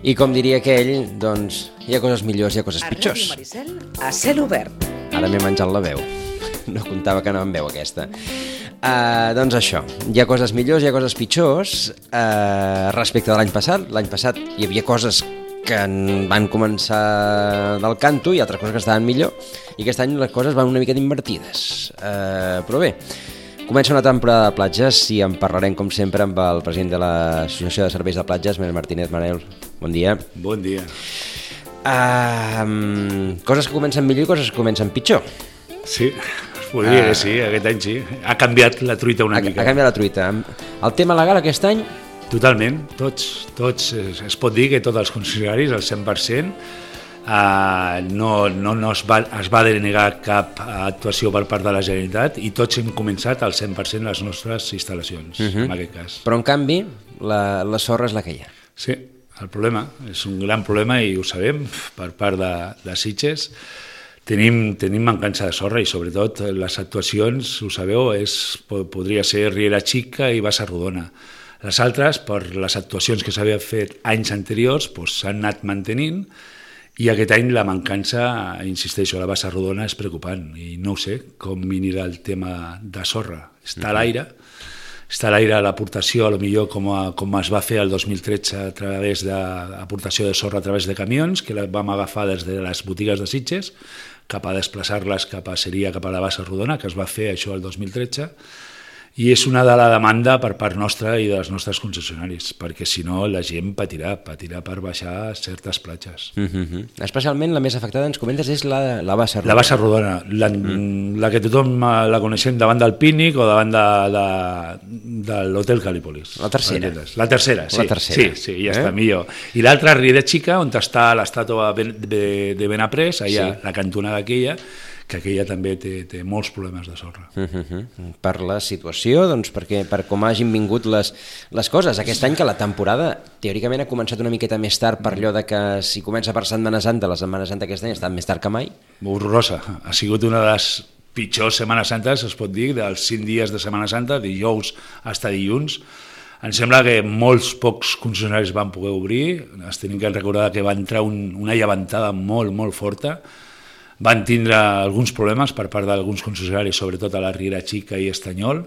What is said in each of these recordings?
I com diria aquell, doncs, hi ha coses millors, hi ha coses pitjors. A Ràdio Maricel, a cel obert. Ara m'he menjat la veu. No comptava que anava amb veu aquesta. Doncs això, hi ha coses millors, hi ha coses pitjors. Respecte de l'any passat hi havia coses que van començar del canto i altres coses que estaven millor, i aquest any les coses van una miqueta invertides. Però bé, comença una temporada de platges i en parlarem, com sempre, amb el president de l'Associació de Serveis de Platges, Manel Martínez. Manel, bon dia. Bon dia. Coses que comencen millor i coses que comencen pitjor. Sí, es podria que sí, aquest any sí. Ha canviat la truita una mica. Ha canviat la truita. El tema legal aquest any? Totalment, tots. Es pot dir que tots els concessionaris, el 100%, no es va denegar cap actuació per part de la Generalitat i tots hem començat al 100% les nostres instal·lacions, en aquest cas. Però, en canvi, la sorra és la que hi ha. Sí, el problema, és un gran problema i ho sabem per part de Sitges. Tenim mancança de sorra i sobretot les actuacions, ho sabeu, podria ser Riera Xica i Bassa Rodona. Les altres, per les actuacions que s'havien fet anys anteriors, s'han anat mantenint i aquest any la mancança, insisteixo, a la Bassa Rodona és preocupant i no ho sé com anirà el tema de sorra. Està a l'aire l'aportació, potser com es va fer el 2013 a través d'aportació de sorra a través de camions, que la vam agafar des de les botigues de Sitges cap a desplaçar-les cap a la Bassa Rodona, que es va fer això el 2013, i és una de la demanda per part nostra i dels nostres concessionaris, perquè si no la gent patirà per baixar certes platges. Especialment la més afectada, ens comentes, és la Bassa Rodona. La Bassa Rodona, la que tothom la coneixem davant del Pínic o davant de l'Hotel Calípolis. La tercera. La tercera, sí, ja està millor. I l'altra, Riera Xica, on està l'estàtua de Benaprés, allà, la cantonada aquella, que aquella també té molts problemes de sorra. Per la situació, doncs, per com hagin vingut les coses. Aquest any que la temporada teòricament ha començat una miqueta més tard per allò de que si comença per Setmana Santa, la Setmana Santa aquest any ha estat més tard que mai. Horrorosa. Ha sigut una de les pitjors Setmanes Santes, es pot dir, dels 5 dies de Setmana Santa, dijous fins a dilluns. Em sembla que molts pocs concessionaris van poder obrir, es tenim que recordar que va entrar una llevantada molt, molt forta. Van tindre alguns problemes per part d'alguns concessionaris, sobretot a la Riera Xica i Estanyol,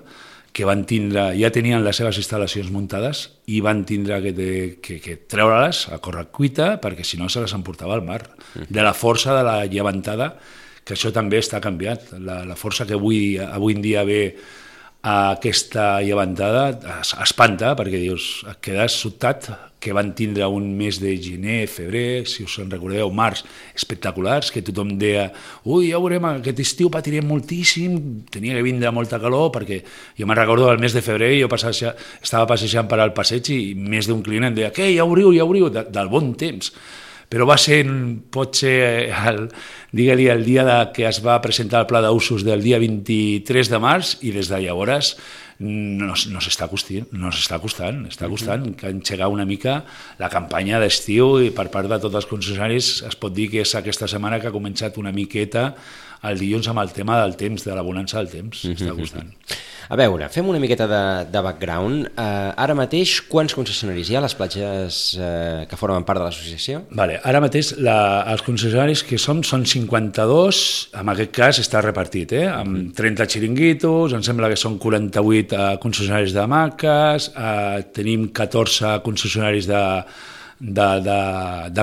que ja tenien les seves instal·lacions muntades i van tindre que treure-les a correcuita perquè si no se les emportava al mar. De la força de la llevantada, que això també està canviat. La força que avui en dia ve a aquesta llevantada espanta perquè dius, et quedes sobtat, que van tindre un mes de gener, febrer, si us en recordeu, març, espectaculars, que tothom deia ja veurem, aquest estiu patirem moltíssim, tenia que vindre molta calor, perquè jo me'n recordo el mes de febrer, jo estava passejant per al passeig i més d'un client em deia, què, ja obriu, del bon temps. Però va ser, potser, digue-li, el dia que es va presentar el pla d'usos del dia 23 de març i des de llavors no s'està costant que engegar una mica la campanya d'estiu i per part de tots els concessionaris es pot dir que és aquesta setmana que ha començat una miqueta el dilluns amb el tema del temps, de la bonança del temps, està costant. A veure, fem una miqueta de background. Ara mateix, quants concessionaris hi ha a les platges que formen part de l'associació? Vale, ara mateix els concessionaris que són 52, en aquest cas està repartit, amb 30 xiringuitos, em sembla que són 48 concessionaris d'hamaques, tenim 14 concessionaris de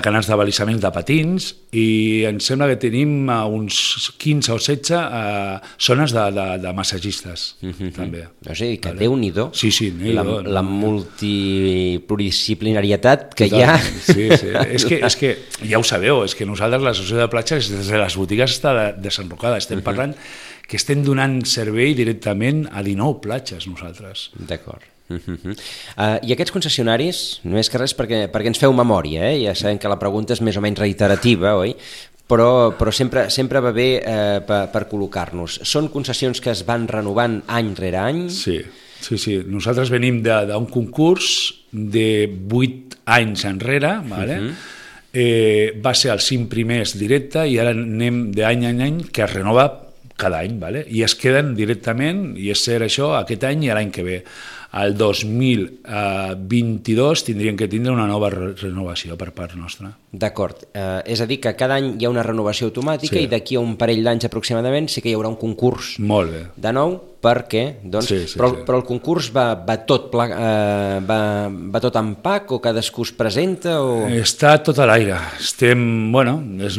canals de balisament de patins i em sembla que tenim uns 15 o 16 zones de massagistes també. O sigui, que Déu-n'hi-do la multipluridisciplinarietat que hi ha. Sí. És que ja ho sabeu, és que nosaltres l'associació de platges des de les botigues està desenrocada, estem parlant que estem donant servei directament a 19 platges nosaltres. D'acord. I aquests concessionaris, no és que res perquè ens feu memòria, ja sabem que la pregunta és més o menys reiterativa, oi? Però sempre va bé per col·locar-nos. Són concessions que es van renovant any rere any? Sí. Nosaltres venim d'un concurs de 8 anys enrere, va ser els 5 primers directe i ara anem d'any en any que es renova cada any, i es queden directament, i és cert això, aquest any i l'any que ve. el 2022 tindrien que tindre una nova renovació per part nostra. D'acord. És a dir, que cada any hi ha una renovació automàtica i d'aquí a un parell d'anys aproximadament sí que hi haurà un concurs Molt bé. de nou, perquè, doncs, però el concurs va tot en pack o cadascú es presenta? O... Està tot a l'aire. És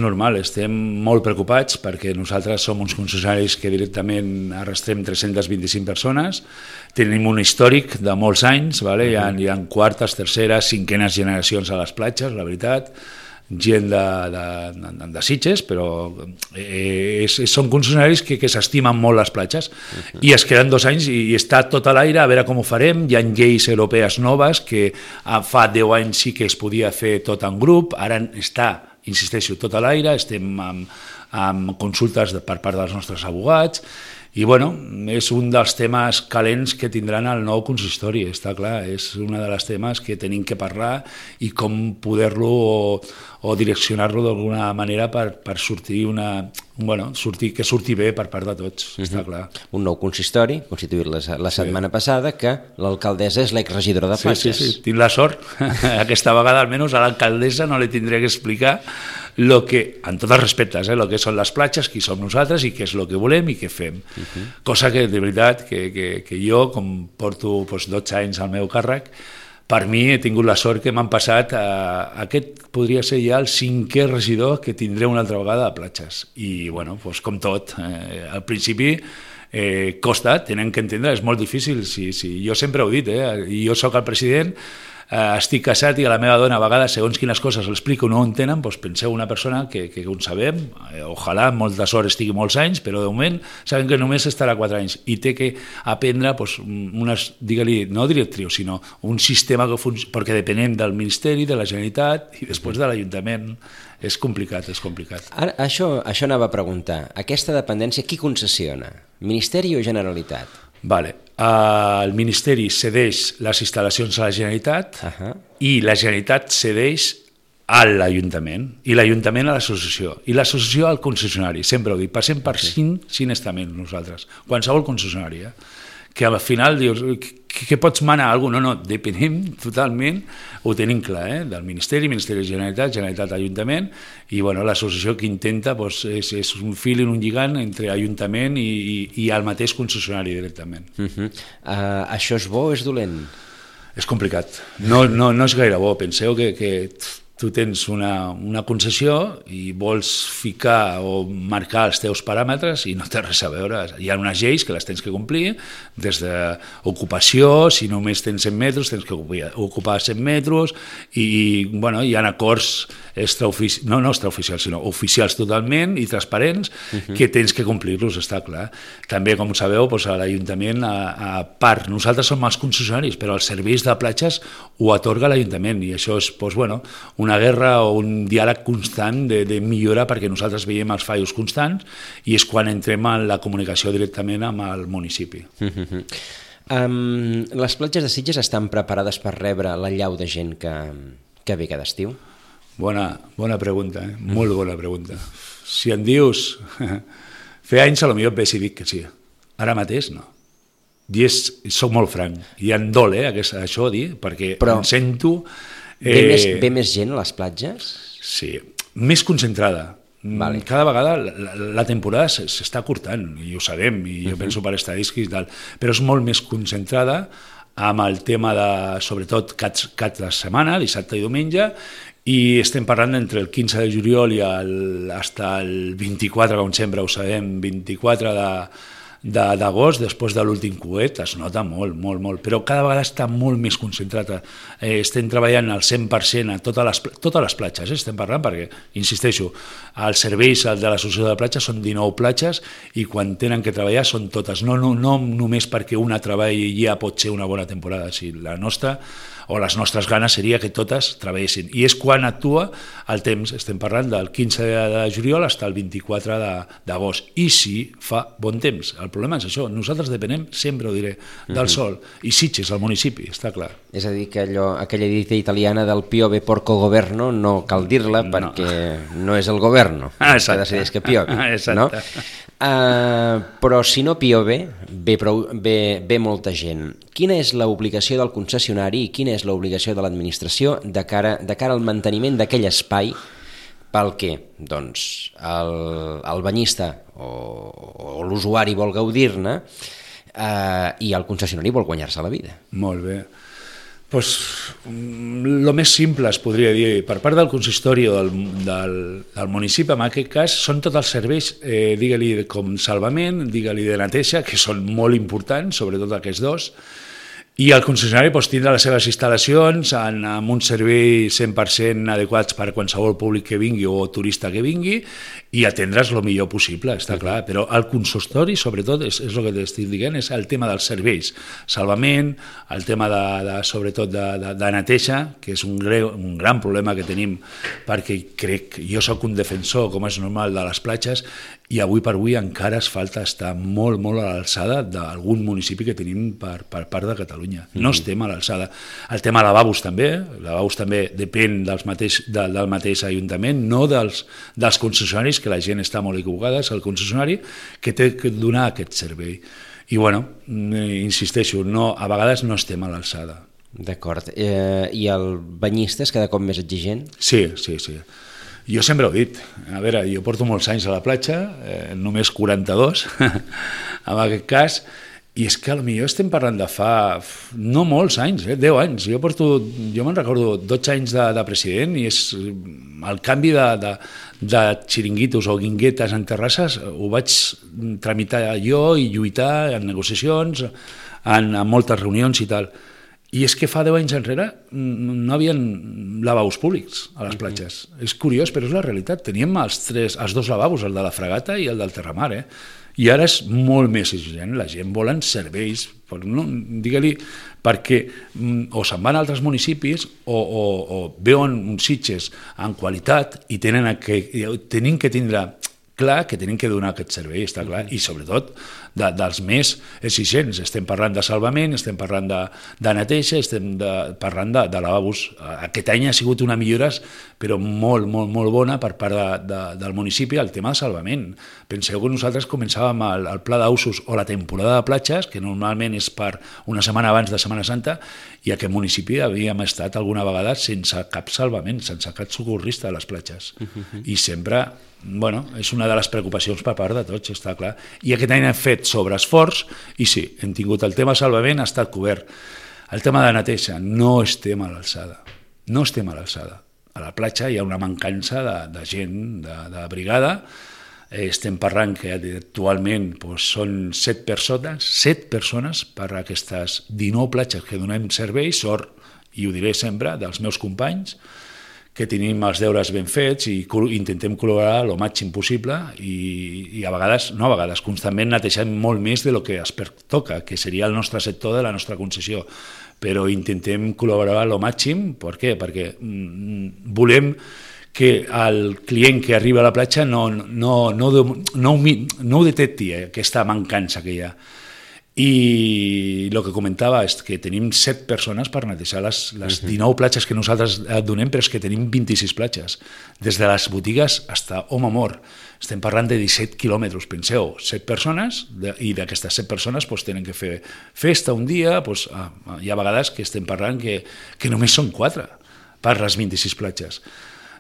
normal, estem molt preocupats perquè nosaltres som uns concessionaris que directament arrastrem 325 persones, tenim un històric de molts anys, vale? Hi ha quartes, terceres, cinquenes generacions a les platges, la veritat, gent de Sitges, però són concessionaris que s'estimen molt les platges i es queden 2 anys i està tot a l'aire a veure com ho farem. Hi ha lleis europees noves que fa 10 anys sí que es podia fer tot en grup, ara està, insisteixo, tot a l'aire, estem amb consultes per part dels nostres abogats i és un dels temes calents que tindran el nou consistori, està clar, és un dels temes que tenim que parlar i com poder-lo o direccionar-lo d'alguna manera per sortir que surti bé per part de tots, està clar. Un nou consistori, constituït la setmana passada, que l'alcaldessa és l'exregidora de platges. Sí, tinc la sort, aquesta vegada almenys a l'alcaldessa no li tindré que explicar lo que, en tots els respectes, lo que són les platges, qui som nosaltres i què és el que volem i què fem. Cosa que, de veritat, que jo, com porto 12 anys al meu càrrec, per mi he tingut la sort que m'han passat, aquest podria ser ja el 5è regidor que tindré una altra vegada a platges. I, com tot, al principi costa, tenen que entendre, és molt difícil, jo sempre ho he dit, i jo sóc el president, estic casat i a la meva dona a vegades segons quines coses l'explico no ho entenen, doncs penseu una persona que ho sabem, ojalà amb molta sort estigui molts anys, però de moment sabem que només estarà 4 anys i té que aprendre unes, digue-li, no directrius, sinó un sistema que perquè depenem del Ministeri, de la Generalitat i després de l'Ajuntament. És complicat. Ara, això anava a preguntar, aquesta dependència qui concessiona? Ministeri o Generalitat? Vale. El Ministeri cedeix les instal·lacions a la Generalitat i la Generalitat cedeix a l'Ajuntament i l'Ajuntament a l'associació i l'associació al concessionari, sempre ho dic, passem per 5 estaments nosaltres, qualsevol concessionari, que al final dius, què pots manar a algú? No, depenem totalment, ho tenim clar, del Ministeri de Generalitat, Generalitat Ajuntament, i l'associació que intenta és un fil i un lligant entre Ajuntament i el mateix concessionari directament. Això és bo o és dolent? És complicat, no és gaire bo, penseu que tu tens una concessió i vols ficar o marcar els teus paràmetres i no té res a veure. Hi ha unes lleis que les tens que complir, des d'ocupació, si només tens 100 metres, tens que ocupar 100 metres, i hi ha acords extraoficials, sinó oficials totalment i transparents, que tens que complir-los, està clar. També, com sabeu, a l'Ajuntament, a part, nosaltres som els concessionaris, però els serveis de platges ho atorga l'Ajuntament, i això és una guerra o un diàleg constant de millora, perquè nosaltres veiem els fallos constants i és quan entrem en la comunicació directament amb el municipi. Les platges de Sitges estan preparades per rebre l'allau de gent que ve cada estiu? Bona pregunta, molt bona pregunta. Si em dius, fa anys potser et veig i dic que sí, ara mateix no. I soc molt franc, i em dol això dir, perquè em sento... Ve més gent a les platges? Sí, més concentrada. Cada vegada la temporada s'està curtant, i ho sabem, i jo penso per estadístiques i tal, però és molt més concentrada amb el tema de, sobretot, cap de setmana, dissabte i diumenge, i estem parlant entre el 15 de juliol i fins al 24, com sempre ho sabem, 24 d'agost, després de l'últim coet, es nota molt, però cada vegada està molt més concentrada. Estem treballant al 100% a totes les platges, estem parlant, perquè, insisteixo, els serveis de l'associació de platges són 19 platges i quan tenen que treballar són totes, no només perquè una treballi ja pot ser una bona temporada, si la nostra o les nostres ganes seria que totes treballessin. I és quan actua el temps, estem parlant del 15 de juliol fins al 24 d'agost, i si fa bon temps. El problema és això, nosaltres depenem, sempre ho diré, del sol, i Sitges, el municipi, està clar. És a dir, que aquella dita italiana del piove porco governo no cal dir-la perquè no és el governo que decideix que piove, no? Però si no piove, ve molta gent. quina és l'obligació del concessionari i quina és l'obligació de l'administració de cara al manteniment d'aquell espai pel que doncs, el banyista o l'usuari vol gaudir-ne i el concessionari vol guanyar-se la vida. Molt bé. Pues, lo més simple es podria dir, per part del consistori o del municipi, en aquest cas, són tots els serveis, digue-li com salvament, digue-li de neteja, que són molt importants, sobretot aquests dos, i el concessionari tindrà les seves instal·lacions amb un servei 100% adequats per a qualsevol públic que vingui o turista que vingui i atendre's el millor possible, està clar. Però el consistori, sobretot, és el que t'estic dient, és el tema dels serveis, salvament, el tema sobretot de neteja, que és un gran problema que tenim, perquè jo soc un defensor, com és normal, de les platges, i avui per avui encara es falta estar molt, molt a l'alçada d'algun municipi que tenim per part de Catalunya. No estem a l'alçada. El tema lavabos també depèn del mateix ajuntament, no dels concessionaris, que la gent està molt equivocada, és el concessionari que té que donar aquest servei. I bueno, insisteixo, a vegades no estem a l'alçada. D'acord. I el banyista és cada cop més exigent? Sí. Jo sempre ho he dit, a veure, jo porto molts anys a la platja, només 42 en aquest cas, i és que potser estem parlant de fa no molts anys, 10 anys. Jo me'n recordo 12 anys de president i és el canvi de xiringuitos o guinguetes en terrasses ho vaig tramitar jo i lluitar en negociacions, en moltes reunions i tal. I és que fa 10 anys enrere no hi havia lavabos públics a les platges. És curiós, però és la realitat. Teníem els dos lavabos, el de la Fragata i el del Terramar, I ara és molt més exigent. La gent volen serveis, digue-li, perquè o se'n van a altres municipis o veuen uns Sitges en qualitat i tenen que tindre clar que tenen que donar aquest servei, està clar, i sobretot dels més exigents. Estem parlant de salvament, estem parlant de neteja, estem parlant de lavabos. Aquest any ha sigut una millora, però molt, molt, molt bona per part del municipi, el tema de salvament. Penseu que nosaltres començàvem el pla d'usos o la temporada de platges, que normalment és per una setmana abans de Setmana Santa, i a aquest municipi havíem estat alguna vegada sense cap salvament, sense cap socorrista a les platges. I sempre, és una de les preocupacions per part de tots, està clar. I aquest any hem fet sobreesforç i sí, hem tingut el tema salvament, ha estat cobert. El tema de neteja, no estem a l'alçada. No estem a l'alçada. A la platja hi ha una mancança de gent, de brigada. Estem parlant que actualment són 7 persones per a aquestes 19 platges que donem servei, sort, i ho diré sempre, dels meus companys, que tenim els deures ben fets i intentem col·laborar el màxim possible i constantment netejant molt més del que es pertoca, que seria el nostre sector de la nostra concessió, però intentem col·laborar el màxim. Per què? Perquè volem que el client que arriba a la platja no ho detecti, aquesta mancança que hi ha. I el que comentava és que tenim 7 persones per netejar les 19 platges que nosaltres donem, però és que tenim 26 platges, des de les botigues fins a home mort. Estem parlant de 17 quilòmetres, penseu, 7 persones, i d'aquestes 7 persones tenen que fer festa un dia, hi ha vegades que estem parlant que només són 4 per les 26 platges.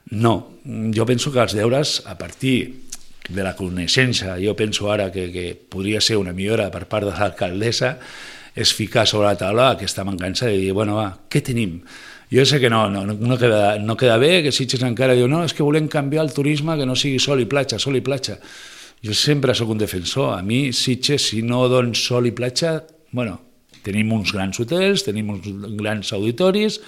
No, jo penso que els deures, a partir de la coneixença, jo penso ara que podria ser una millora per part de l'alcaldessa, és ficar sobre la taula aquesta mancança de dir, què tenim? Jo sé que no queda bé, que Sitges encara diu, no, és que volem canviar el turisme, que no sigui sol i platja. Jo sempre sóc un defensor. A mi, Sitges, si no dones sol i platja, tenim uns grans hotels, tenim uns grans auditoris,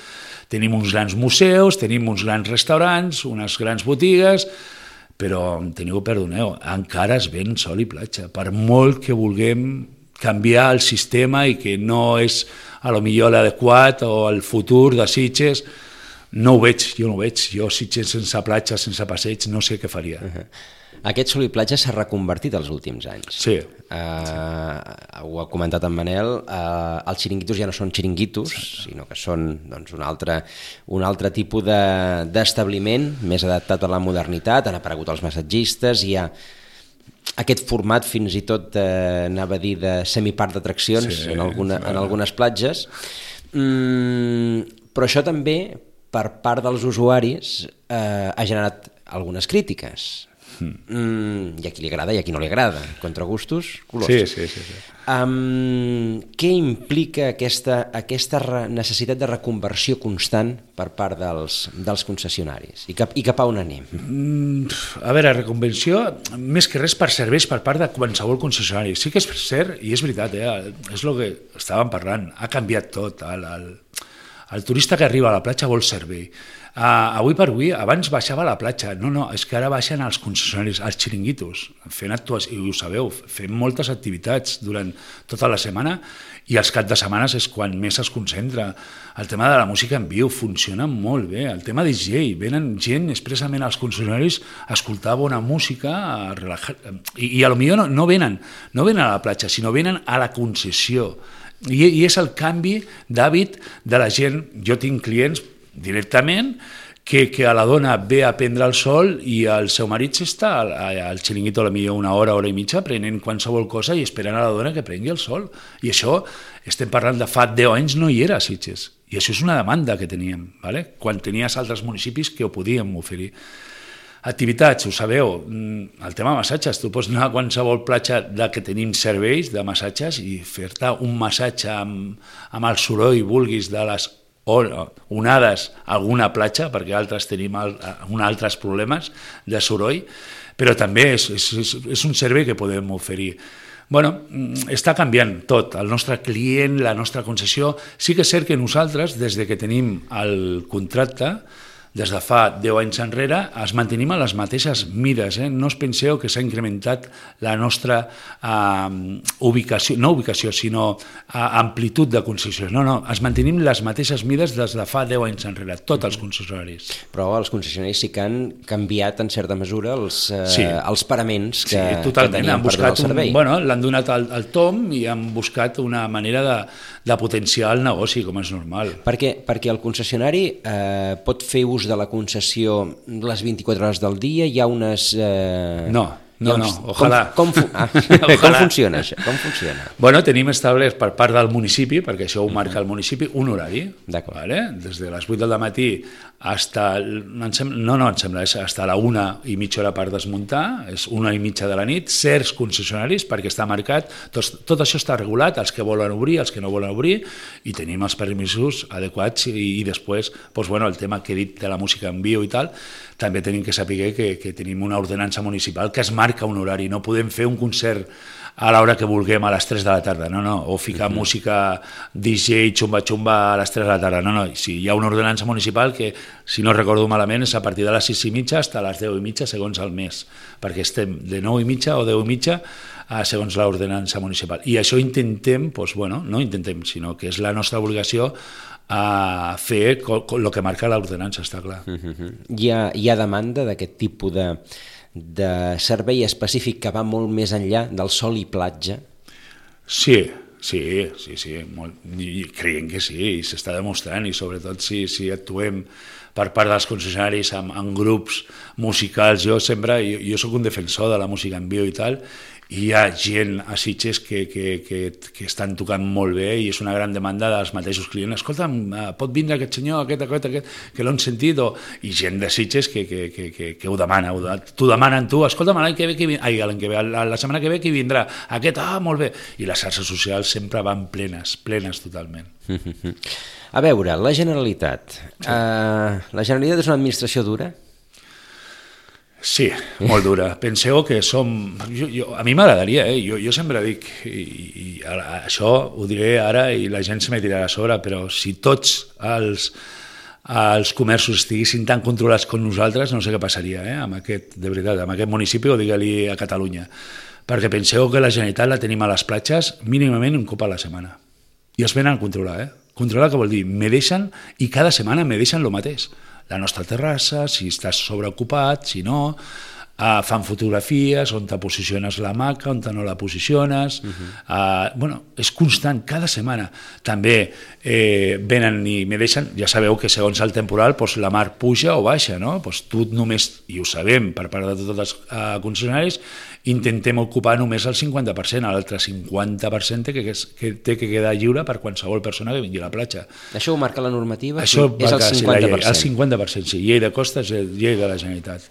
tenim uns grans museus, tenim uns grans restaurants, unes grans botigues, però perdoneu, encara es ven sol i platja. Per molt que vulguem canviar el sistema i que no és a lo millor l'adequat o el futur de Sitges, no ho veig, jo no ho veig. Jo Sitges sense platja, sense passeig, no sé què faria. Aquest sol i platja s'ha reconvertit els últims anys. Sí. Ho ha comentat en Manel, els xiringuitos ja no són xiringuitos, sinó que són un altre tipus d'establiment més adaptat a la modernitat, han aparegut els massatgistes, hi ha aquest format fins i tot, anava a dir, de semiparc d'atraccions en algunes platges. Però això també, per part dels usuaris, ha generat algunes crítiques. Hi ha qui li agrada i a qui no li agrada. Contra gustos, colors. Sí. Què implica aquesta necessitat de reconversió constant per part dels concessionaris? I cap a on anem? A veure, reconversió, més que res per serveis per part de qualsevol concessionari. Sí que és cert, i és veritat, és el que estàvem parlant, ha canviat tot. El turista que arriba a la platja vol servei. Avui per avui, abans baixava a la platja, no, és que ara baixen els concessionaris, els xiringuitos, fent actuacions, i ho sabeu, fem moltes activitats durant tota la setmana i els caps de setmana és quan més es concentra. El tema de la música en viu funciona molt bé, el tema DJ, venen gent expressament als concessionaris a escoltar bona música, a relajar, i potser no venen a la platja, sinó venen a la concessió. I és el canvi d'hàbit de la gent. Jo tinc clients directament que a la dona ve a prendre el sol i el seu marit està al xiringuito potser una hora i mitja prenent qualsevol cosa i esperant a la dona que prengui el sol. I això, estem parlant de fa 10 anys, no hi era a Sitges. I això és una demanda que teníem, ¿vale? Quan tenies altres municipis que ho podíem oferir. Activitats, ho sabeu, el tema de massatges, tu pots anar a qualsevol platja que tenim serveis de massatges i fer-te un massatge amb el soroll vulguis de les onades a alguna platja, perquè altres tenim altres problemes de soroll, però també és un servei que podem oferir. Bueno, està canviant tot, el nostre client, la nostra concessió. Sí que és cert que nosaltres, des que tenim el contracte, des de fa 10 anys enrere, es mantenim a les mateixes mides. No us penseu que s'ha incrementat la nostra ubicació, sinó amplitud de concessions. No, es mantenim les mateixes mides des de fa 10 anys enrere, tots els concessionaris. Però els concessionaris sí que han canviat en certa mesura els paraments que tenien per donar el servei. L'han donat el tom i han buscat una manera de potenciar el negoci, com és normal. Perquè el concessionari pot fer ús de la concessió les 24 hores del dia, hi ha unes... No, ojalà. Com funciona això? Com funciona? Tenim establert per part del municipi, perquè això ho marca el municipi, un horari, des de les 8 del matí hasta hasta la 1:30 per desmuntar, és 1:30 de la nit, certs concessionaris, perquè està marcat, tot això està regulat, els que volen obrir, els que no volen obrir, i tenim els permisos adequats, i després, el tema que he dit de la música en viu i tal, també tenim que saber que tenim una ordenança municipal que es marca un horari, no podem fer un concert a l'hora que vulguem a les 3 de la tarda, o ficar música DJ, xumba-xumba a les 3 de la tarda, sí, hi ha una ordenança municipal que, si no recordo malament, és a partir de les 6:30 fins a les 10:30 segons el mes, perquè estem de 9:30 o 10:30 segons l'ordenança municipal. I això intentem, no intentem, sinó que és la nostra obligació a fer el que marca l'ordenança, està clar. Hi ha demanda d'aquest tipus de servei específic que va molt més enllà del sol i platja? Sí, creiem que sí, i s'està demostrant, i sobretot si actuem per part dels concessionaris en grups musicals. Jo soc un defensor de la música en viu i tal, i hi ha gent a Sitges que estan tocant molt bé i és una gran demanda dels mateixos clients. Escolta'm, pot vindre aquest senyor, aquest, que l'han sentit, i gent de Sitges que ho demana, t'ho demanen tu, escolta'm, la setmana que ve qui vindrà, aquest, molt bé, i les xarxes socials sempre van plenes totalment. A veure, la Generalitat. La Generalitat és una administració dura? Sí, molt dura. Penseu que som... a mi m'agradaria, jo sempre dic, i això ho diré ara i la gent se me tirarà a sobre, però si tots els comerços estiguessin tan controlats com nosaltres, no sé què passaria amb aquest municipi, o digue-li a Catalunya. Perquè penseu que la Generalitat la tenim a les platges mínimament un cop a la setmana. I es venen a controlar, Controlar què vol dir? Me deixen, i cada setmana me deixen el mateix. La nostra terrassa, si estàs sobreocupat, si no, fan fotografies on te posiciones la hamaca, on te no la posiciones, és constant, cada setmana. També venen i me deixen, ja sabeu que segons el temporal la mar puja o baixa, no? Tu només, i ho sabem per part de tots els concessionaris, intentem ocupar només el 50%, l'altre 50% té que quedar lliure per qualsevol persona que vingui a la platja. Això ho marca la normativa? Això és el 50%? El 50%, sí. Llei de costes, llei de la Generalitat.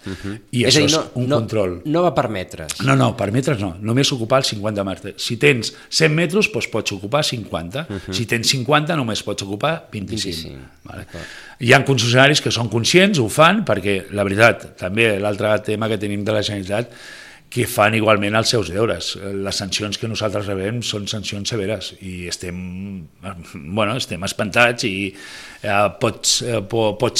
I això és un control. No va per metres? No, per metres no. Només ocupar els 50 metres. Si tens 100 metres, doncs pots ocupar 50. Si tens 50, només pots ocupar 25. Vale. Hi ha concessionaris que són conscients, ho fan, perquè la veritat, també l'altre tema que tenim de la Generalitat, que fan igualment els seus deures. Les sancions que nosaltres rebem són sancions severes i estem espantats i pot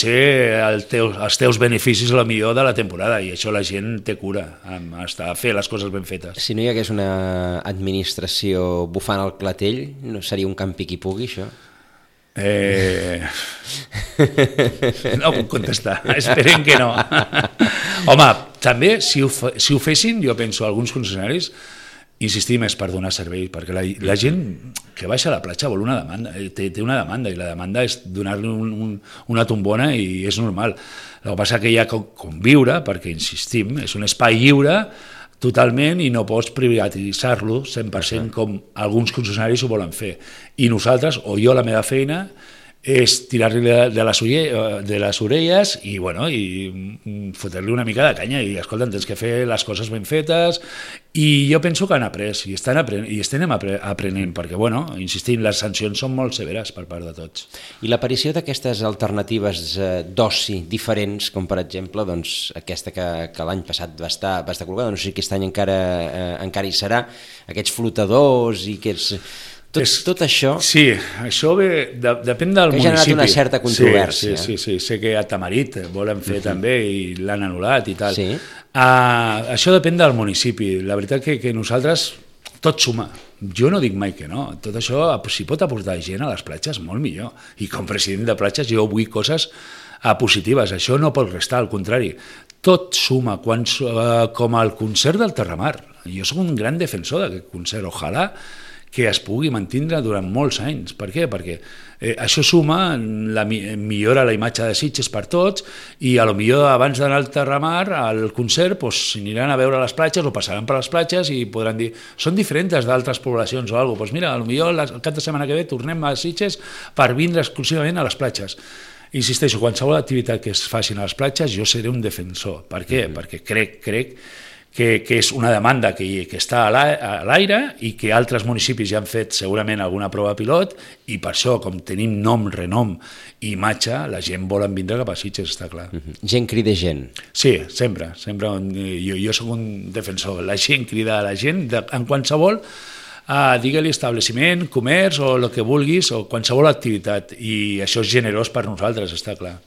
ser els teus beneficis a la millor de la temporada i això la gent té cura a fer les coses ben fetes. Si no hi hagués una administració bufant al clatell, no seria un campi qui pugui, això? No puc contestar, esperem que no. Home, també si ho fessin, jo penso, alguns concessionaris, insistir més per donar servei, perquè la gent que baixa a la platja vol una demanda, té una demanda, i la demanda és donar-li una tombona i és normal. El que passa que hi ha que conviure, perquè insistim, és un espai lliure totalment i no pots privatitzar-lo 100% com alguns concessionaris ho volen fer. I nosaltres, o jo, la meva feina, és tirar-li de les orelles i fotre-li una mica de canya i, escolta, tens que fer les coses ben fetes i jo penso que han après i estem aprenent perquè, insistim, les sancions són molt severes per part de tots. I l'aparició d'aquestes alternatives d'oci diferents, com per exemple aquesta que l'any passat va estar col·locada, no sé si aquest any encara hi serà, aquests flotadors i aquests... Tot això... Sí, això depèn del municipi. Que ha generat una certa controvèrsia. Sí, sé que a Tamarit volen fer també i l'han anul·lat i tal. Sí. Això depèn del municipi. La veritat que nosaltres tot suma. Jo no dic mai que no. Tot això, si pot aportar gent a les platges, molt millor. I com president de platges jo vull coses positives. Això no pot restar, al contrari. Tot suma, com el concert del Terramar. Jo soc un gran defensor d'aquest concert. Ojalà que es pugui mantindre durant molts anys. Per què? Perquè això suma, millora la imatge de Sitges per tots i a lo millor abans d'anar al Terramar, al concert, s'aniran a veure les platges o passaran per les platges i podran dir, són diferents d'altres poblacions o alguna cosa. Mira, a lo millor el cap de setmana que ve tornem a Sitges per vindre exclusivament a les platges. Insisteixo, qualsevol activitat que es facin a les platges jo seré un defensor. Per què? Perquè crec que és una demanda que està a l'aire i que altres municipis ja han fet segurament alguna prova pilot i per això, com tenim nom, renom i imatge, la gent vol vindre cap a Sitges, està clar. Gent crida gent. Sí, sempre. Jo soc un defensor. La gent crida a la gent en qualsevol, digue-li establiment, comerç o el que vulguis o qualsevol activitat i això és generós per nosaltres, està clar.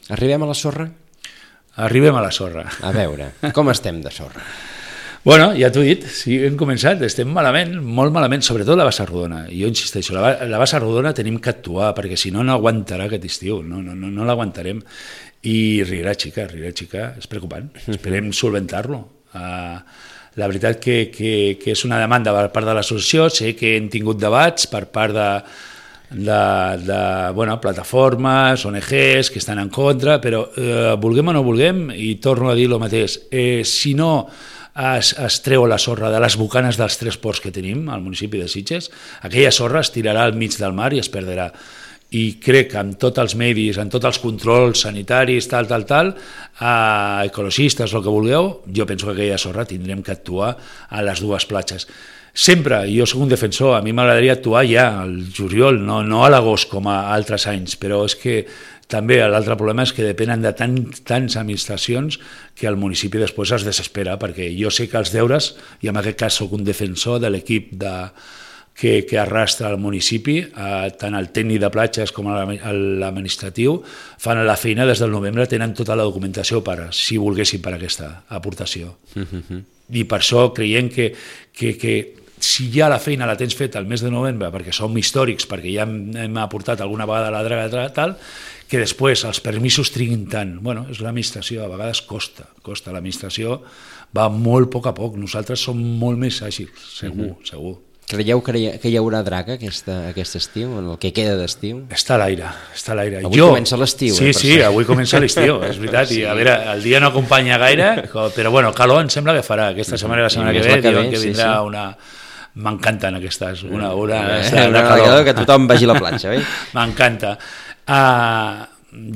Arribem a la sorra? Arribem a la sorra. A veure, com estem de sorra? Ja t'ho he dit, sí, hem començat, estem malament, molt malament, sobretot la Bassa Rodona. Jo insisteixo, la Bassa Rodona tenim que actuar, perquè si no aguantarà aquest estiu, no l'aguantarem. I Riera Xica, és preocupant, esperem solventar-lo. La veritat que és una demanda per part de l'associació, sé que hem tingut debats per part de plataformes, ONGs que estan en contra, però vulguem o no vulguem, i torno a dir el mateix, si no es treu la sorra de les bocanes dels 3 ports que tenim al municipi de Sitges, aquella sorra es tirarà al mig del mar i es perdrà. I crec que amb tots els medis, amb tots els controls sanitaris, ecologistes, el que vulgueu, jo penso que aquella sorra tindrem que actuar a les dues platges. Sempre, jo soc un defensor, a mi m'agradaria actuar ja al juliol, no a l'agost com a altres anys, però és que també l'altre problema és que depenen de tants administracions que el municipi després es desespera, perquè jo sé que els deures, i en aquest cas soc un defensor de l'equip que arrastra el municipi, tant el tècnic de platges com l'administratiu, fan la feina des del novembre, tenen tota la documentació si volguessin per aquesta aportació. I per això creiem que si ja la feina la tens feta al mes de novembre, perquè som històrics, perquè ja hem aportat alguna vegada la draga tal, que després els permisos triguin tant. És l'administració, a vegades costa. L'administració va molt a poc. Nosaltres som molt més àgils, segur. Creieu que hi haurà draga aquest estiu, en el que queda d'estiu? Està a l'aire. Avui comença l'estiu. Sí, avui comença l'estiu, és veritat. Sí. I a veure, el dia no acompanya gaire, però bueno, calor em sembla que farà. Aquesta setmana i la setmana que ve diuen que vindrà una... M'encanten aquestes, una de calor. Que tothom vagi a la platja, oi? M'encanta.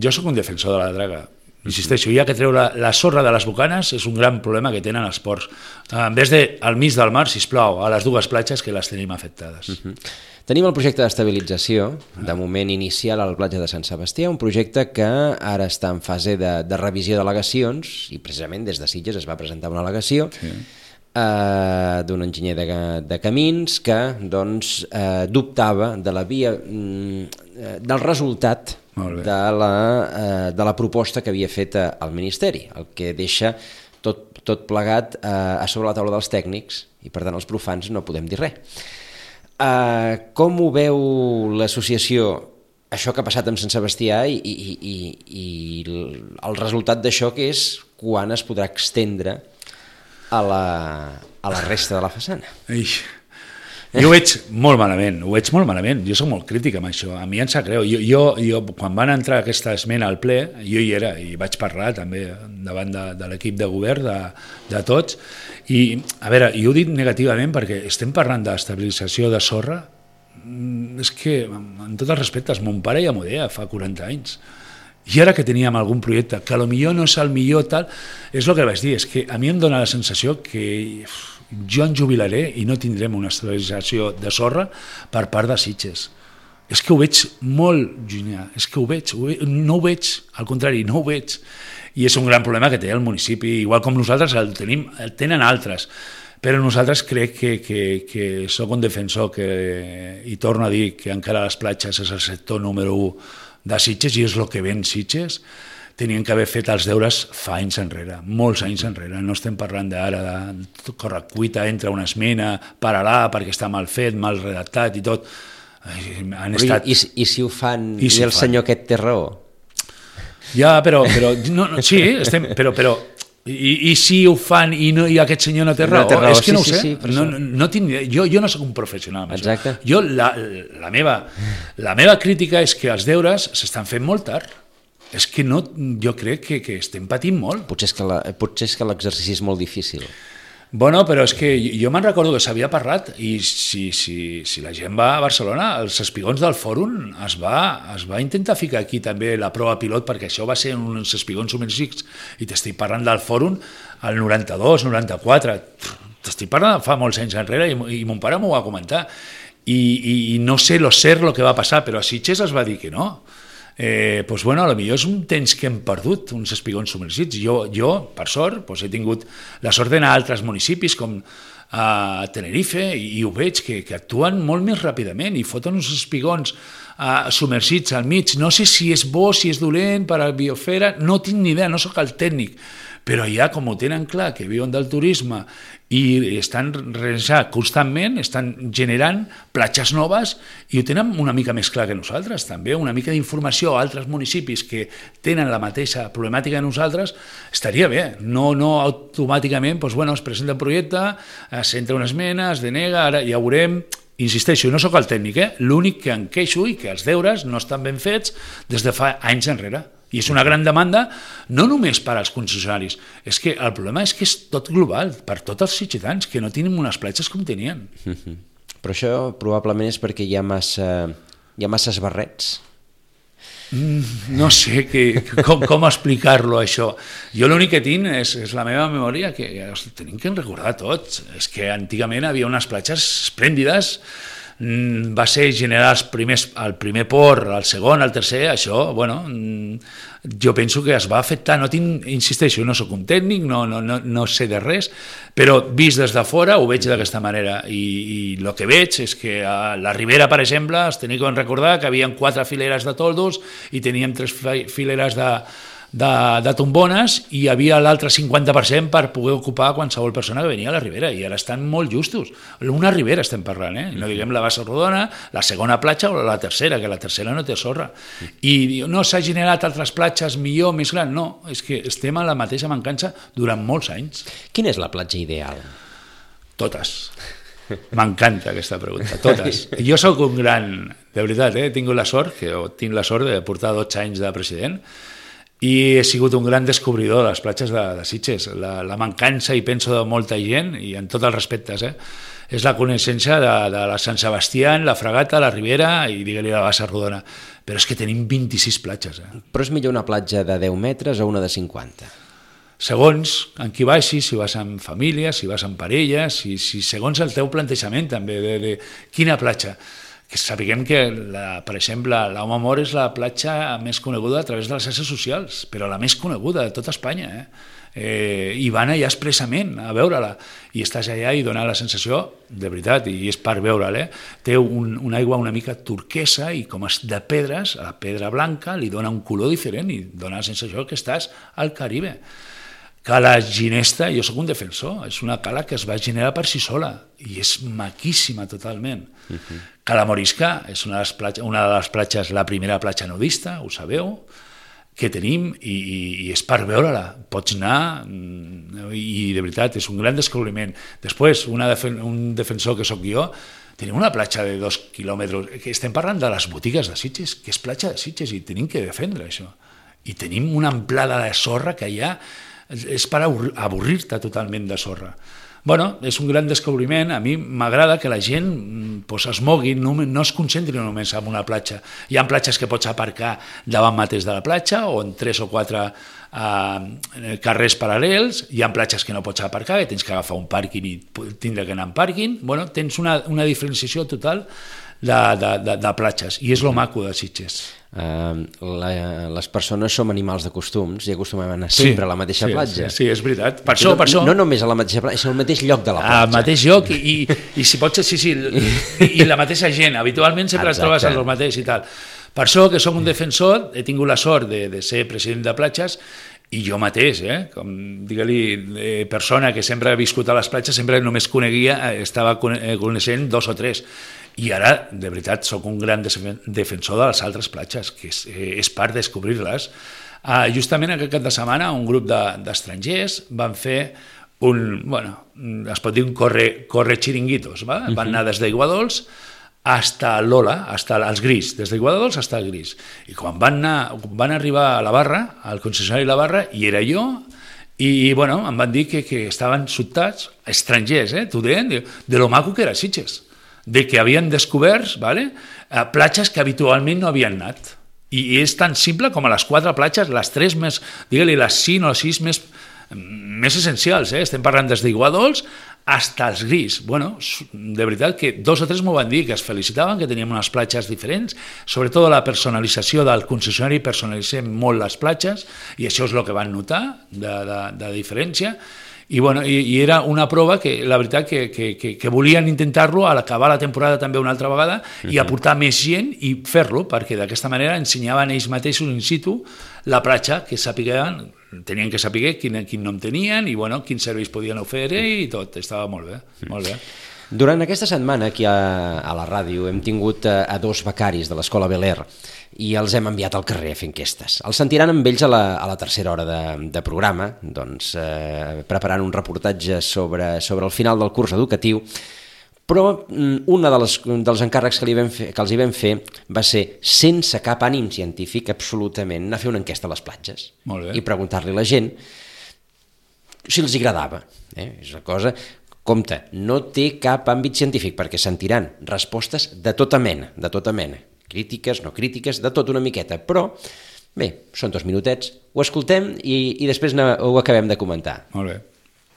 Jo sóc un defensor de la draga. Insisteixo, ja que treu la sorra de les bocanes és un gran problema que tenen els ports. En vez de al mig del mar, sisplau, a les dues platges que les tenim afectades. Tenim el projecte d'estabilització, de moment inicial a la platja de Sant Sebastià, un projecte que ara està en fase de revisió d'al·legacions, i precisament des de Sitges es va presentar una al·legació d'un enginyer de camins que doncs, dubtava de la via del resultat de la proposta que havia fet el Ministeri, el que deixa tot plegat a sobre la taula dels tècnics i per tant els profans no podem dir res. Com ho veu l'associació, això que ha passat amb Sant Sebastià i el resultat d'això, que és quan es podrà extendre a la resta de la façana? Jo ho veig molt malament, jo soc molt crític amb això, a mi em sap greu. Jo quan van entrar aquesta esmena al ple, jo hi era i vaig parlar també davant de l'equip de govern, de tots, i a veure, jo ho dic negativament perquè estem parlant d'estabilització de sorra, és que en tots els respectes, mon pare ja m'ho deia fa 40 anys, i ara que teníem algun projecte que potser no és el millor tal, és el que vaig dir, és que a mi em dóna la sensació que jo em jubilaré i no tindrem una estabilització de sorra per part de Sitges. És que ho veig molt llunyà, és que no ho veig, al contrari, no ho veig. I és un gran problema que té el municipi, igual com nosaltres el tenen altres. Però nosaltres crec que sóc un defensor i torno a dir que encara les platges és el sector número 1 de Sitges i és el que ven Sitges. Tenien que haver fet els deures fa anys enrere, molts anys enrere. No estem parlant d'ara de correcuita, entra una esmena, para-la perquè està mal fet, mal redactat i tot. I si ho fan i el senyor aquest té raó? Ja, però sí, però i si ho fan i aquest senyor no té raó? És que no ho sé. Jo no soc un professional. Jo la meva crítica és que els deures s'estan fent molt tard. És que jo crec que estem patint molt. Potser és que l'exercici és molt difícil. Bueno, però és que jo me'n recordo que s'havia parlat i si la gent va a Barcelona, els espigons del fòrum es va intentar ficar aquí també la prova pilot, perquè això va ser uns espigons submergits i t'estic parlant del fòrum al 92, 94, t'estic parlant fa molts anys enrere i mon pare m'ho va comentar i no sé lo que va passar, però a Sitges es va dir que no. Doncs bueno, potser és un temps que hem perdut, uns espigons submergits. Jo per sort, he tingut la sort d'anar a altres municipis com a Tenerife i ho veig que actuen molt més ràpidament i foten uns espigons submergits al mig. No sé si és bo, si és dolent per a la biosfera, no tinc ni idea, no sóc el tècnic, però ja com ho tenen clar, que viuen del turisme i estan realitzant constantment, estan generant platges noves i ho tenen una mica més clar que nosaltres també, una mica d'informació a altres municipis que tenen la mateixa problemàtica que nosaltres, estaria bé, no automàticament es presenta un projecte, s'entra una esmena, es denega, ara ja ho veurem. Insisteixo, no sóc el tècnic, l'únic que em queixo i que els deures no estan ben fets des de fa anys enrere. I és una gran demanda, no només per als concessionaris, és que el problema és que és tot global, per tots els sitgetans, que no tenim unes platges com tenien. Però això probablement és perquè hi ha masses barrets. No sé com explicar-lo, això. Jo l'únic que tinc és la meva memòria, que tenim que recordar tots. És que antigament hi havia unes platges esplèndides, va ser generar el primer port, el segon, el tercer, això, jo penso que es va afectar, insisteixo, no sóc un tècnic, no sé de res, però vist des de fora ho veig d'aquesta manera i el que veig és que a la Ribera, per exemple, es tenia que recordar que hi havia 4 fileres de toldos i teníem 3 fileres de tombones i hi havia l'altre 50% per poder ocupar qualsevol persona que venia a la Ribera i ara estan molt justos. Una Ribera estem parlant, no diguem la bassa rodona, la segona platja o la tercera, que la tercera no té sorra. I no s'ha generat altres platges millor, més gran, no, és que estem a la mateixa mancança durant molts anys. Quina és la platja ideal? Totes. M'encanta aquesta pregunta, totes. Jo sóc un gran, de veritat, he tingut la sort, tinc la sort de portar 12 anys de president, i he sigut un gran descobridor de les platges de Sitges. La mancança, i penso, de molta gent, i en tots els respectes, és la coneixença de la Sant Sebastià, la Fragata, la Ribera i, digue-li, la Bassa Rodona. Però és que tenim 26 platges. Però és millor una platja de 10 metres o una de 50? Segons en qui vagis, si vas amb família, si vas amb parella, si segons el teu plantejament també, de quina platja. Que sapiguem que, per exemple, l'Home Mor és la platja més coneguda a través de les xarxes socials, però la més coneguda de tota Espanya. I van allà expressament a veure-la, i estàs allà i dona la sensació, de veritat, i és per veure-la, té una aigua una mica turquesa i com és de pedres, a la pedra blanca li dona un color diferent i dona la sensació que estàs al Caribe. Cala Ginesta, jo sóc un defensor, és una cala que es va generar per si sola i és maquíssima totalment. Cala Morisca és una de les platges, la primera platja nudista, ho sabeu, que tenim i és per veure-la. Pots anar i de veritat és un gran descobriment. Després, un defensor que sóc jo, tenim una platja de 2 quilòmetres, que estem parlant de les botigues de Sitges, que és platja de Sitges i tenim que defendre això. I tenim una amplada de sorra que hi ha, és per avorrir-te totalment de sorra. Bueno, és un gran descobriment. A mi m'agrada que la gent es mogui, no es concentri només en una platja. Hi ha platges que pots aparcar davant mateix de la platja o en 3 o 4 carrers paral·lels. Hi ha platges que no pots aparcar, que tens que agafar un pàrquing i tindre que anar en pàrquing. Bueno, tens una diferenciació total de platges i és lo maco de Sitges. Les persones som animals de costums i acostumem a anar sempre a la mateixa platja. Sí, és veritat. Per això... No només a la mateixa platja, és al mateix lloc de la platja. Al mateix lloc i si pot ser, sí, i la mateixa gent. Habitualment sempre es trobes el mateix i tal. Per això que soc un defensor, he tingut la sort de ser president de platges i jo mateix, com digue-li, persona que sempre ha viscut a les platges, sempre només estava coneixent 2 o 3. I ara, de veritat, sóc un gran defensor de les altres platges, que és part de descobrir-les. Justament aquest cap de setmana un grup d'estrangers van fer es pot dir un corre xiringuitos, van anar des d'Aiguadols hasta l'Ola, hasta els Gris, des d'Aiguadols hasta el Gris. I quan van arribar a la barra, al concessionari de la barra, hi era jo, i em van dir que estaven sobtats, estrangers, t'ho deien, de lo maco que era Sitges, de que havien descobert platges que habitualment no havien anat. I és tan simple com a les 4 platges, les 3 més, digue-li, les 5 o 6 més essencials. Estem parlant des d'Aiguadols hasta els Gris. De veritat que 2 o 3 m'ho van dir, que es felicitaven, que teníem unes platges diferents, sobretot la personalització del concessionari, personalitzem molt les platges, i això és el que van notar de diferència. I era una prova que la veritat que volien intentar-lo a l'acabar la temporada també una altra vegada i aportar més gent i fer-lo, perquè d'aquesta manera ensenyaven ells mateixos in situ la platja, que tenien que saber quin nom tenien i quins serveis podien oferir i tot, estava molt bé, molt bé. Durant aquesta setmana aquí a la ràdio hem tingut a 2 becaris de l'Escola Bel Air i els hem enviat al carrer a fer enquestes. Els sentiran amb ells a la tercera hora de programa, preparant un reportatge sobre el final del curs educatiu, però un dels encàrrecs que els hi vam fer va ser, sense cap ànim científic, absolutament, anar a fer una enquesta a les platges i preguntar-li a la gent si els agradava. És una cosa... Compte, no té cap àmbit científic, perquè sentiran respostes de tota mena, crítiques, no crítiques, de tot una miqueta, però bé, són 2 minutets, ho escoltem i després ho acabem de comentar. Molt bé.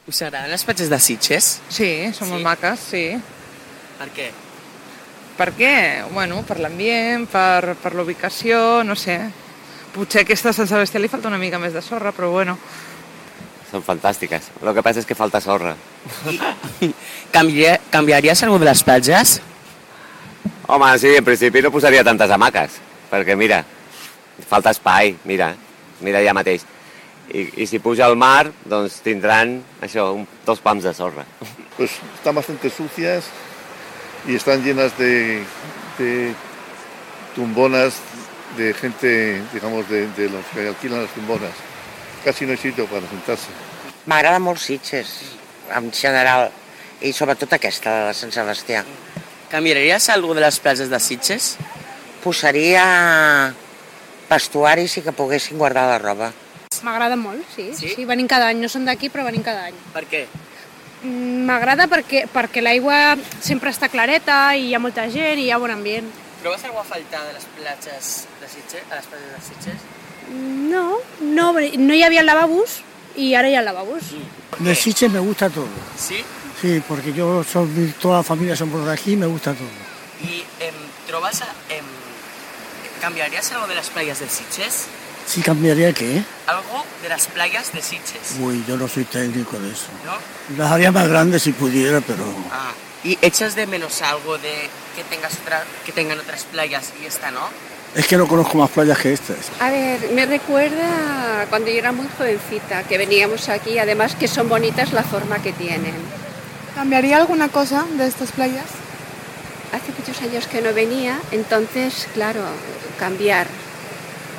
Us agraden les platges de Sitges? Sí, són molt maques, sí. Per què? Per què? Bueno, per l'ambient, per la ubicació, no sé. Potser a aquesta Sant Sebastià li falta una mica més de sorra, però bueno. Són fantàstiques. El que passa és que falta sorra. Canviaries alguna de les platges? Home, sí, en principi no posaria tantes hamaques, perquè mira, falta espai, mira allà mateix. I si puja al mar, doncs tindran, això, 2 pams de sorra. Pues están bastante sucias y están llenas de tumbonas de gente, digamos, de los que alquilan las tumbonas. Casi no hay sitio para sentarse. M'agrada molt Sitges, en general. i sobretot aquesta de Sant Sebastià. Canviaries alguna de les platges de Sitges? Posaria vestuaris i que poguessin guardar la roba. M'agrada molt, sí. Sí? Sí, venim cada any. No som d'aquí, però venim cada any. Per què? M'agrada perquè l'aigua sempre està clareta i hi ha molta gent i hi ha bon ambient. Trobes alguna a faltar de les platges de Sitges? A les platges de Sitges? No hi havia lavabos y ahora ya lavabos. De Sitges me gusta todo. Sí? Sí, porque toda la familia somos de aquí, me gusta todo. I trobes... ¿Cambiarías algo de las playas de Sitges? ¿Sí cambiaría qué? Algo de las playas de Sitges. Uy, yo no soy técnico de eso. ¿No? Las haría más grandes si pudiera, pero... Ah, ¿y echas de menos algo de que tengan otras playas y esta no? Es que no conozco más playas que estas. A ver, me recuerda cuando yo era muy jovencita, que veníamos aquí, además que son bonitas la forma que tienen. ¿Cambiaría alguna cosa de estas playas? Hace muchos años que no venía, entonces, claro, cambiar.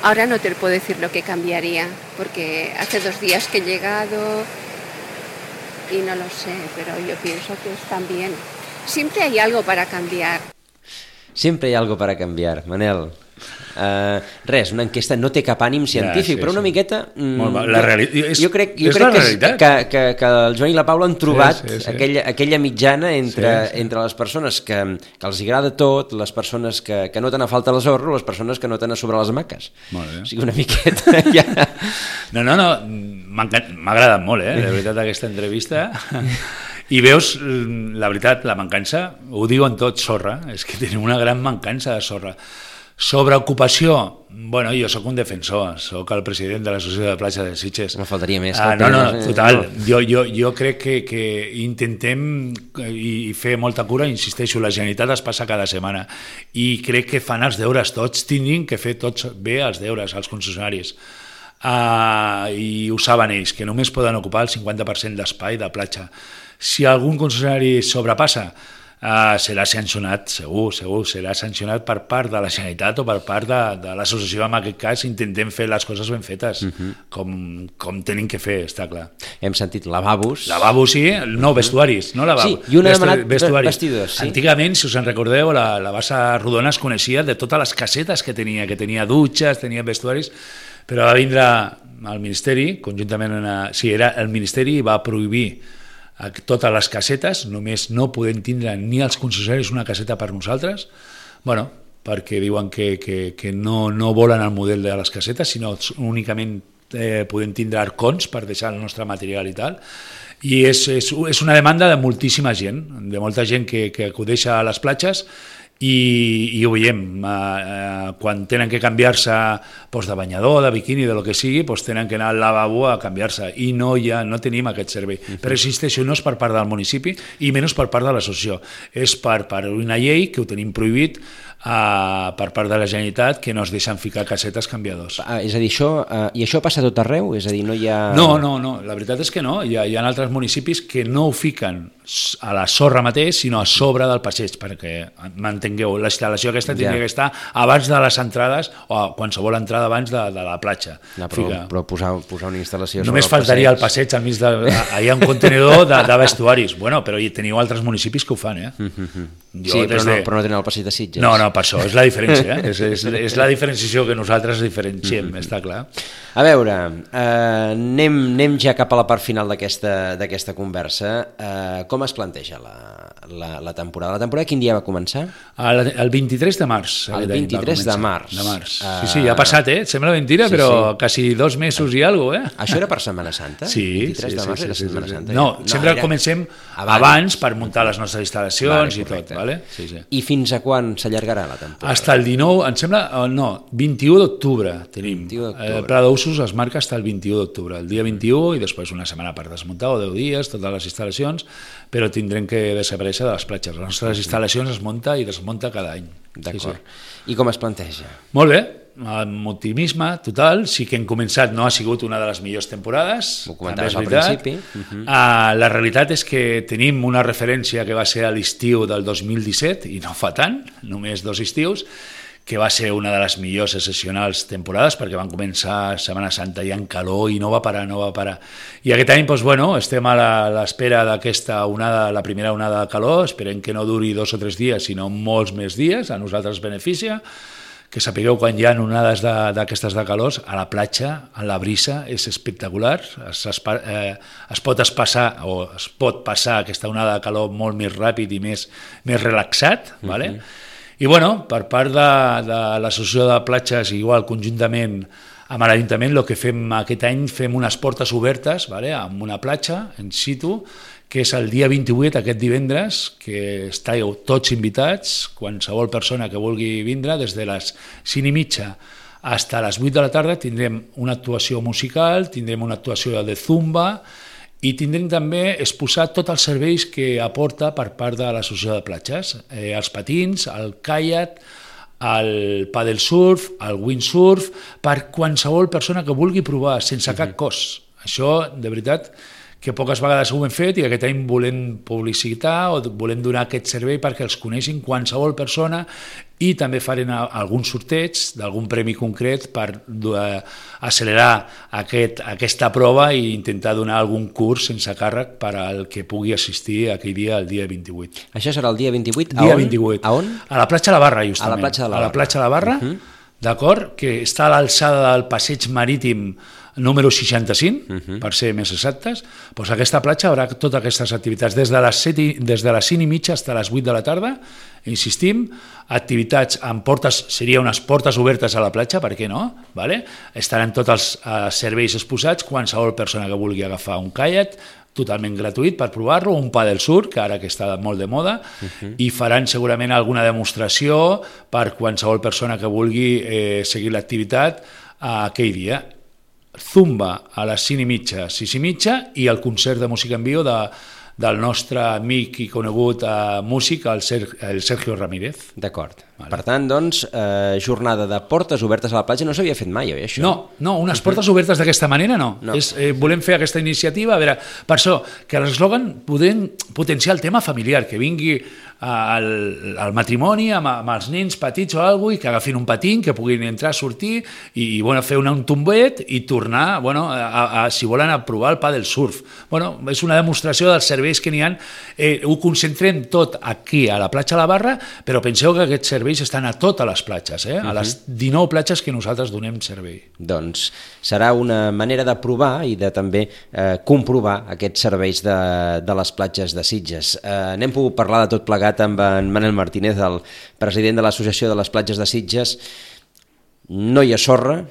Ahora no te puedo decir lo que cambiaría, porque hace 2 días que he llegado y no lo sé, pero yo pienso que están bien. Siempre hay algo para cambiar. Siempre hay algo para cambiar, Manel. Res, una enquesta no té cap ànim científic, però una miqueta... Jo crec que el Joan i la Paula han trobat aquella mitjana entre les persones que els agrada tot, les persones que noten a falta les horres, les persones que noten a sobre les maques. O sigui, una miqueta... No, m'ha agradat molt, de veritat, aquesta entrevista. I veus, la veritat, la mancança, ho diuen tot, sorra, és que tenim una gran mancança de sorra. Sobre ocupació, bueno, jo sóc un defensor, sóc el president de l'Associació de Platja de Sitges. No faltaria més. Total. Jo crec que intentem i fer molta cura, insisteixo, la Generalitat es passa cada setmana i crec que fan els deures tots, tinguin que fer tots bé els deures, els concessionaris. I ho saben ells, que només poden ocupar el 50% d'espai de platja. Si algun concessionari sobrepassa, serà sancionat, segur, serà sancionat per part de la Generalitat o per part de l'associació. En aquest cas intentem fer les coses ben fetes, com tenim que fer, està clar. Hem sentit lavabos. Lavabos, sí, no vestuaris, no lavabos. Sí, i un ha demanat vestidors. Antigament, si us en recordeu, la Bassa Rodona es coneixia de totes les casetes que tenia dutxes, tenia vestuaris, però va vindre al Ministeri, conjuntament era el Ministeri, i va prohibir a totes les casetes, només no podem tindre ni els concessionaris una caseta per nosaltres, perquè diuen que no volen el model de les casetes, sinó únicament podem tindre arcons per deixar el nostre material i tal, i és una demanda de moltíssima gent, de molta gent que acudeix a les platges, i ho veiem, quan tenen que canviar-se de banyador, de biquini, de lo que sigui, tenen que anar al lavabo a canviar-se, i no tenim aquest servei. Però existeixo, no és per part del municipi i menys per part de l'associació, és per una llei que ho tenim prohibit per part de la Generalitat, que no es deixen ficar casetes canviadors. És a dir, això passa a tot arreu? És a dir, no hi ha... No, la veritat és que no. Hi ha altres municipis que no ho fiquen a la sorra mateix, sinó a sobre del passeig, perquè, m'entengueu, la instal·lació aquesta tindria que estar abans de les entrades, o qualsevol entrada abans de la platja. Però posar una instal·lació... Només faltaria el passeig al mig hi ha un contenidor de vestuaris. Però hi teniu altres municipis que ho fan, Sí, però no tenen el passeig de Sitges. No, per això, és la diferència. És la diferenciació que nosaltres diferenciem, està clar. A veure, anem ja cap a la part final d'aquesta conversa. Com es planteja la temporada? La temporada quin dia va començar? El 23 de març. El 23 de març. Sí, ja ha passat, sembla mentira, però quasi 2 mesos i alguna cosa. Això era per Setmana Santa? Sí. 23 de març era Setmana Santa? No, sempre comencem abans per muntar les nostres instal·lacions i tot. I fins a quan s'allargarà la temporada? Hasta el 19, em sembla, 21 d'octubre tenim. El pla d'usos es marca hasta el 21 d'octubre, el dia 21 i després una setmana per desmuntar o 10 dies, totes les instal·lacions, però tindrem que desaparèixer de les platges. Les nostres instal·lacions es munta i desmunta cada any. D'acord. I com es planteja? Molt bé, amb optimisme total. Sí que hem començat, no ha sigut una de les millors temporades. Ho comentaves al principi. La realitat és que tenim una referència que va ser a l'estiu del 2017, i no fa tant, només 2 estius, que va ser una de les millors excepcionals temporades, perquè van començar Setmana Santa i en calor i no va parar. I aquest any, doncs, bueno, estem a l'espera d'aquesta onada, la primera onada de calor, esperem que no duri 2 o 3 dies, sinó molts més dies, a nosaltres beneficia, que sapigueu quan hi ha onades d'aquestes de calors, a la platja, a la brisa, és espectacular, es pot passar aquesta onada de calor molt més ràpid i més relaxat, vale? I bueno, per part de l'Associació de Platges, igual conjuntament amb l'Ajuntament, el que fem aquest any, fem unes portes obertes, vale? Amb una platja en situ, que és el dia 28, aquest divendres, que estàveu tots invitats, qualsevol persona que vulgui vindre, des de les 5:30 fins a les 8 de la tarda tindrem una actuació musical, tindrem una actuació de zumba, i tindrem també exposat tots els serveis que aporta per part de l'Associació de Platges, els patins, el caiac, el paddle surf, el windsurf, per qualsevol persona que vulgui provar, sense cap cost. Això, de veritat, que poques vegades ho hem fet i aquest any volem publicitar o volem donar aquest servei perquè els coneixin qualsevol persona i també farem algun sorteig d'algun premi concret per accelerar aquesta prova i intentar donar algun curs sense càrrec per al que pugui assistir aquell dia, el dia 28. Això serà el dia 28? Dia 28. A on? A la platja de la Barra, justament. A la platja de la Barra. A la platja de la Barra, d'acord? Que està a l'alçada del passeig marítim número 65, per ser més exactes. Doncs aquesta platja haurà totes aquestes activitats, des de les 5:30 fins a les 8 de la tarda, insistim, activitats amb portes, serien unes portes obertes a la platja, per què no? Vale? Estaran tots els serveis exposats, qualsevol persona que vulgui agafar un caiac, totalment gratuït per provar-lo, un paddle surf, que ara que està molt de moda, i faran segurament alguna demostració per qualsevol persona que vulgui seguir l'activitat aquell dia. Zumba a les 5:30, 6:30 i el concert de música en viu del nostre amic i conegut músic, el Sergio Ramírez. D'acord. Vale. Per tant, doncs, jornada de portes obertes a la platja no s'havia fet mai, oi, això? No, unes portes obertes d'aquesta manera no. Volem fer aquesta iniciativa, a veure, per això, que l'eslògan podem potenciar el tema familiar, que vingui al matrimoni amb els nens petits o alguna cosa i que agafin un patín, que puguin entrar, sortir i fer un tombet i tornar, si volen, a provar el paddle surf. És una demostració dels serveis que n'hi ha. Ho concentrem tot aquí, a la platja de la Barra, però penseu que aquests serveis estan a totes les platges, a les 19 platges que nosaltres donem servei. Doncs serà una manera de provar i de també comprovar aquests serveis de les platges de Sitges. N'hem pogut parlar de tot plegat amb en Manel Martínez, el president de l'Associació de les Platges de Sitges. No hi ha sorra,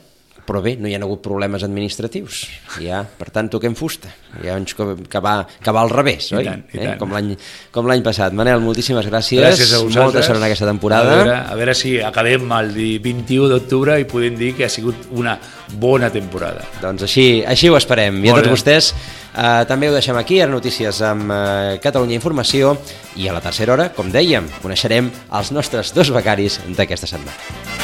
però bé, no hi ha hagut problemes administratius. Per tant, toquem fusta. Hi ha uns que va al revés, oi? Com l'any passat. Manel, moltíssimes gràcies. Gràcies a vosaltres. Molta sort en aquesta temporada. A veure si acabem el 21 d'octubre i podem dir que ha sigut una bona temporada. Doncs així ho esperem. I a tots vostès també ho deixem aquí, ara notícies amb Catalunya Informació, i a la tercera hora, com dèiem, coneixerem els nostres 2 becaris d'aquesta setmana.